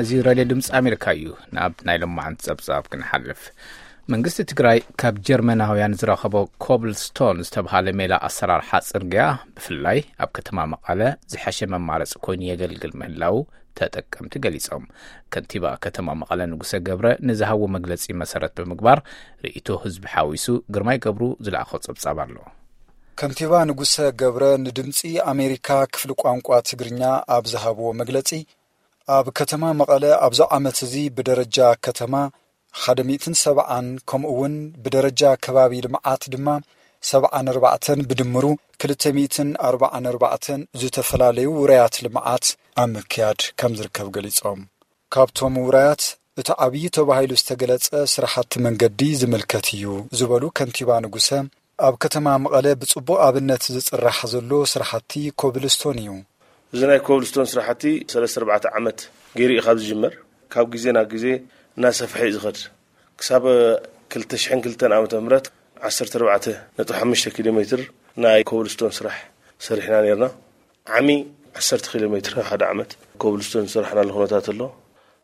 እዚ ሬድዮ ድምፂ ኣሜሪካ እዩ። ናብ ናይ ሎማዓንቲ ፀብፃብ ክንሓልፍ፣ መንግስቲ ትግራይ ካብ ጀርመናውያን ዝረኸቦ ኮብልስቶን ዝተብሃለ ሜላ ኣሰራርሓ ፅርግያ፣ ብፍላይ ኣብ ከተማ መቐለ፣ ዝሐሸ መማረፂ ኮይኑ የገልግል ምህላው ተጠቀምቲ ገሊፆም። ከንቲባ ከተማ መቐለ ንጉሰ ገብረ ንዝሃቦ መግለፂ መሰረት ብምግባር፣ ርእይቶ ህዝቢ ሓዊሱ ግርማይ ገብሩ ዝለኣኾ ፀብፃብ ኣሎ። ከንቲባ ንጉሰ ገብረ ንድምፂ ኣሜሪካ ክፍሊ ቋንቋ ትግርኛ ኣብ ዝሃብዎ መግለፂ፣ ኣብ ከተማ መቐለ ኣብዚ ዓመት እዚ ብደረጃ ከተማ ሓደ ሚእትን ሰብዓን፣ ከምኡ እውን ብደረጃ ከባቢ ልምዓት ድማ ሰብዓን ኣርባዕተን፣ ብድምሩ ክልተ ሚእትን ኣርባዓን ኣርባዕተን ዝተፈላለዩ ውራያት ልምዓት ኣብ ምክያድ ከም ዝርከብ ገሊጾም። ካብቶም ውራያት እቲ ዓብዪ ተባሂሉ ዝተገለጸ ስራሕቲ መንገዲ ዝምልከት እዩ ዝበሉ ከንቲባ ንጉሰ፣ ኣብ ከተማ መቐለ ብጽቡቕ ኣብነት ዝጽራሕ ዘሎ ስራሕቲ ኮብልስቶን እዩ። እዚ ናይ ኮብልስቶን ስራሕቲ ሰለስተ ኣርባዕተ ዓመት ገይሩ እዩ ካብ ዝጅመር። ካብ ግዜ ናብ ግዜ እናሰፍሐ እዩ ዝኸድ። ክሳብ ክልተ ሽሕን ክልተን ዓመተ ምህረት ዓሰርተ ኣርባዕተ ነጥቢ ሓሙሽተ ኪሎ ሜትር ናይ ኮብልስቶን ስራሕ ሰሪሕና ነርና። ዓሚ ዓሰርተ ኪሎ ሜትር ሓደ ዓመት ኮብልስቶን ዝሰራሕናሉ ኩነታት ኣሎ።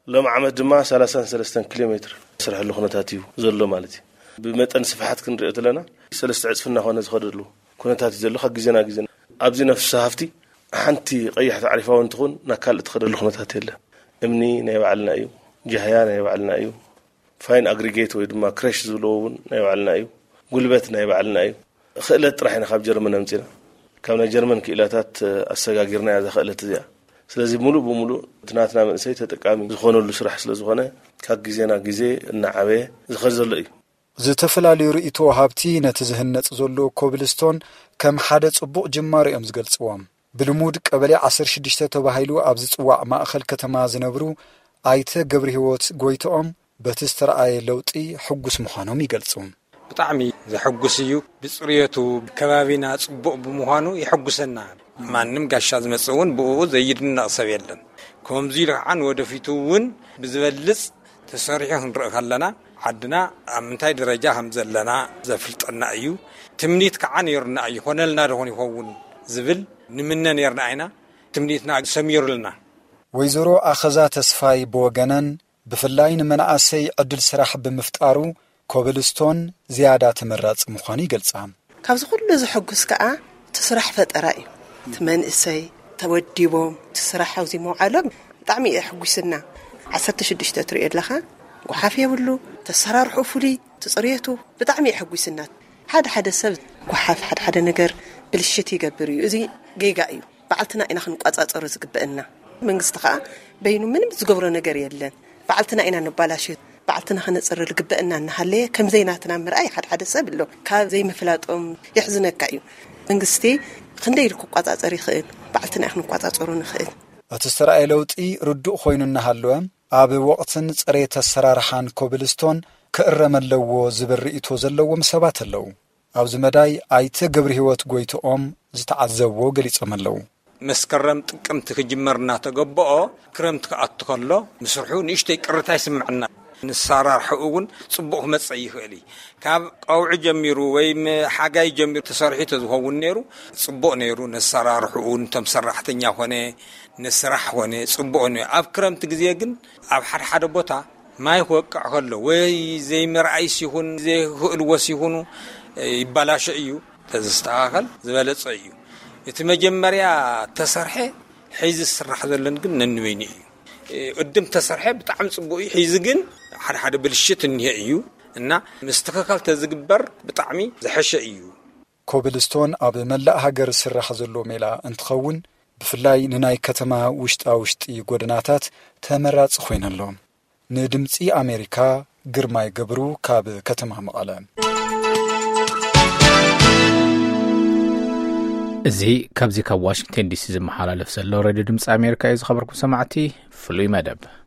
ሎም ዓመት ድማ ሰላሳን ሰለስተን ኪሎ ሜትር ዝስርሐሉ ኩነታት እዩ ዘሎ ማለት እዩ። ብመጠን ስፍሓት ክንሪኦ ተለና ሰለስተ ዕፅፊ እናኾነ ዝኸደሉ ኩነታት እዩ ዘሎ። ካብ ግዜ ናብ ግዜ ኣብዚ ነፍሲ ሃፍቲ ሓንቲ ቀያሕ ተዕሪፋ እውን ትኹን ናብ ካልእ ትኸደሉ ኩነታት የለን። እምኒ ናይ ባዕልና እዩ፣ ጃህያ ናይ ባዕልና እዩ፣ ፋይን ኣግሪጌት ወይ ድማ ክረሽ ዝብልዎ እውን ናይ ባዕልና እዩ፣ ጉልበት ናይ ባዕልና እዩ። ክእለት ጥራሕ ኢና ካብ ጀርመን ኣምፂና። ካብ ናይ ጀርመን ክኢላታት ኣሰጋጊርና እያ እዛ ክእለት እዚኣ። ስለዚ ሙሉእ ብሙሉእ እቲ ናትና መንእሰይ ተጠቃሚ ዝኾነሉ ስራሕ ስለ ዝኾነ ካብ ግዜ ናብ ግዜ እናዓበየ ዝኸድ ዘሎ እዩ። ዝተፈላለዩ ርእይቶ ወሃብቲ ነቲ ዝህነጽ ዘሎ ኮብልስቶን ከም ሓደ ጽቡቕ ጅማሮ እዮም ዝገልጽዎ። ብልሙድ ቀበሌ ዓሰርተ ሽዱሽተ ተባሂሉ ኣብ ዝጽዋዕ ማእኸል ከተማ ዝነብሩ ኣይተ ገብረህይወት ጎይትኦም በቲ ዝተረኣየ ለውጢ ሕጉስ ምዃኖም ይገልጹ። ብጣዕሚ ዘሐጉስ እዩ። ብጽርየቱ ከባቢና ጽቡቕ ብምዃኑ የሐጉሰና። ማንም ጋሻ ዝመጽእ እውን ብእኡ ዘይድነቕ ሰብ የለን። ከምዚ ኢሉ ከዓ ንወደፊቱ እውን ብዝበልጽ ተሰሪሑ ክንርኢ ከለና ዓድና ኣብ ምንታይ ደረጃ ከም ዘለና ዘፍልጠና እዩ። ትምኒት ከዓ ነይሩና እዩ። ይኾነልና ዶ ይኸውን ዝብል ንምነ ነይርና ኢና። ትምኒትና ሰሚሩልና። ወይዘሮ ኣኸዛ ተስፋይ ብወገነን ብፍላይ ንመናእሰይ ዕድል ስራሕ ብምፍጣሩ ኮብልስቶን ዝያዳ ተመራጺ ምዃኑ ይገልጻ። ካብዚ ኩሉ ዘሐጉስ ከኣ እቲ ስራሕ ፈጠራ እዩ። እቲ መንእሰይ ተወዲቦም እቲ ስራሕ ኣብዚ ምውዓሎም ብጣዕሚ እዩ ኣሕጒስና። ዓሰርተ ሽዱሽተ ትሪኦ ኣለኻ፣ ጓሓፍ የብሉ፣ ተሰራርሑ ፍሉይ፣ እቲ ጽርየቱ ብጣዕሚ እዩ ኣሕጒስና። ሓደ ሓደ ሰብ ጓሓፍ ሓደ ሓደ ነገር ብልሽት ይገብር እዩ። እዚ ጌጋ እዩ። ባዕልትና ኢና ክንቋጻጸሮ ዝግበእና። መንግስቲ ከኣ በይኑ ምንም ዝገብሮ ነገር የለን። ባዕልትና ኢና ነባላሽት። ባዕልትና ከነጽሪ ዝግበእና እናሃለየ ከም ዘይናትና ምርኣይ ሓደ ሓደ ሰብ ኣሎ። ካብ ዘይምፍላጦም የሕዝነካ እዩ። መንግስቲ ክንደይ ኢሉ ክቋጻጸር ይኽእል? ባዕልትና ኢና ክንቋጻጸሮ ንኽእል። እቲ ዝተራእየ ለውጢ ርዱእ ኮይኑ እናሃለወ፣ ኣብ ወቕትን ጽሬት ኣሰራርሓን ኮብልስቶን ክእረም ኣለዎ ዝብል ርእይቶ ዘለዎም ሰባት ኣለዉ። ኣብዚ መዳይ ኣይተ ገብረህይወት ጎይትኦም ዝተዓዘብዎ ገሊጾም ኣለዉ። መስከረም ጥቅምቲ ክጅመር እናተገበኦ ክረምቲ ክኣቱ ከሎ ምስርሑ ንእሽተይ ቅርታ ይስምዐና። ንሰራርሕኡ እውን ጽቡቕ ክመጽእ ይኽእል እዩ። ካብ ቀውዒ ጀሚሩ ወይ ም-፣ ሓጋይ ጀሚሩ ተሰሪሑ ተዝኸውን ነይሩ ጽቡቕ ነይሩ። ነሰራርሕኡ፣ ነቶም ሰራሕተኛ ኾነ፣ ንስራሕ ኾነ ጽቡቕ ነይሩ። ኣብ ክረምቲ ግዜ ግን ኣብ ሓደ ሓደ ቦታ ማይ ክወቅዕ ከሎ ወይ ዘይምርኣይስ ይኹን ዘይክእልዎስ ይኹኑ ይባላሾ እዩ። ተዝስተኻኸል ዝበለጸ እዩ። እቲ መጀመርያ ተሰርሐ ሒዚ ዝስራሕ ዘለን ግን ነንበይኑ እዩ። ቅድም ተሰርሐ ብጣዕሚ ጽቡቕ እዩ። ሒዚ ግን ሓደ ሓደ ብልሽት እኒሀ እዩ እና ምስትኽኻል ተዝግበር ብጣዕሚ ዝሐሸ እዩ። ኮብልስቶን ኣብ መላእ ሃገር ዝስራሕ ዘሎ ሜላ እንትኸውን፣ ብፍላይ ንናይ ከተማ ውሽጣ ውሽጢ ጎደናታት ተመራጺ ኮይነሎ። ንድምጺ ኣሜሪካ ግርማይ ገብሩ ካብ ከተማ መቐለ። እዚ ካብዚ ካብ ዋሽንግተን ዲሲ ዝመሓላለፍ ዘሎ ሬድዮ ድምጺ ኣሜሪካ እዩ። ዝኸበርኩም ሰማዕቲ፣ ፍሉይ መደብ።